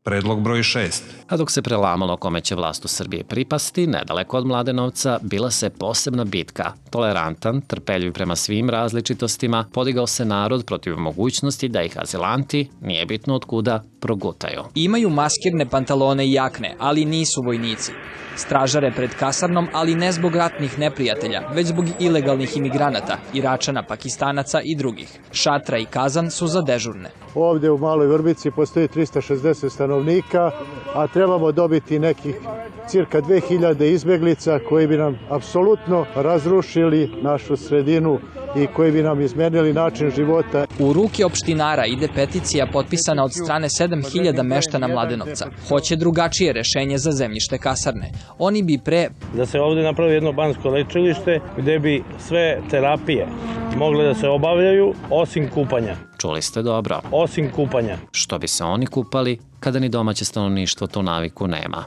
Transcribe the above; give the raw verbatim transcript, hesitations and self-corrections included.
Predlog broj šest. A dok se prelamalo kome će vlast u Srbiji pripasti, nedaleko od Mladenovca bila se posebna bitka. Tolerantan, trpeljiv prema svim različitostima, podigao se narod protiv mogućnosti da ih azilanti, nije bitno od kuda, progutaju. Imaju maskirne pantalone i jakne, ali nisu vojnici. Stražare pred kasarnom, ali ne zbog ratnih neprijatelja, već zbog ilegalnih imigranata, Iračana, Pakistanaca i drugih. Šatra i kazan su za dežurne. Ovdje u Maloj Vrbici postoji trista šezdeset stanovnika, a trebamo dobiti nekih cirka dve hiljade izbeglica koji bi nam apsolutno razrušili našu sredinu i koji bi nam izmenili način života. U ruke opštinara ide peticija potpisana od strane sedam hiljada meštana Mladenovca. Hoće drugačije rešenje za zemljište kasarne. Oni bi pre... Da se ovdje napravi jedno banjsko lečilište gde bi sve terapije mogle da se obavljaju osim kupanja. Čuli ste dobro. Osim kupanja. Što bi se oni kupali kada ni domaće stanovništvo tu naviku nema.